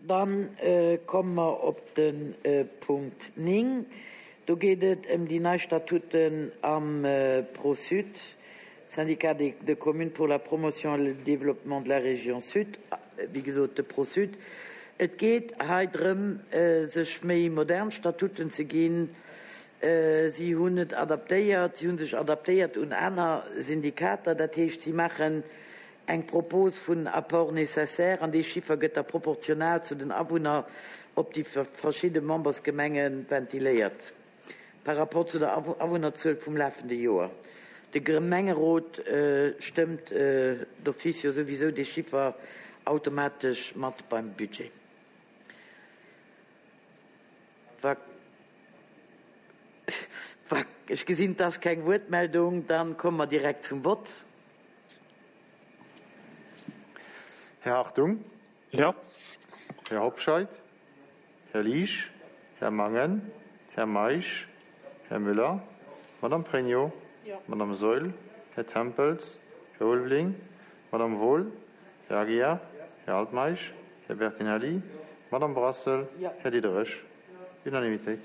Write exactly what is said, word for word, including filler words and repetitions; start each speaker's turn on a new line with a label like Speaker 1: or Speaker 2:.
Speaker 1: Dann komme mer op de Punkt néng. Do geet et ëm déi nei Statuten am ProSud, Syndicat de communes pour la promotion et le développement de la région Sud, wéi gesot de ProSud. Et geet hei drëm, sech méi modern Statuten ze ginn. Si hunn et adaptéiert, si hu sech adaptéiert un aner Syndikater, dat heescht, si maachen eng Propos vun Apport nécessaire an dee Chiffer gëtt da proportional zu den Awunner op déi verschidde Membersgemenge ventiléiert par rapport zu der Awunnerzuel vum lafende Joer. De Gemengerot stëmmt d'office jo souwisou dee Chiffer automatesch mat beim Budget. Wa ech gesinn, et ass keng Wuertmeldung, da komme mer direkt zum Vott.
Speaker 2: Här Hartung?
Speaker 3: Jo.
Speaker 2: Här Hobscheit? Här Liesch? Här Mangen? Här Meisch? Här Müller? Madame Pregno? Madame Saeul? Här Tempels? Här Ulveling? Madame Wohl? Här Aguiar? Här Altmeisch? Här Bertinelli? Madame Brassel? Här Diderich? Unanimitéit.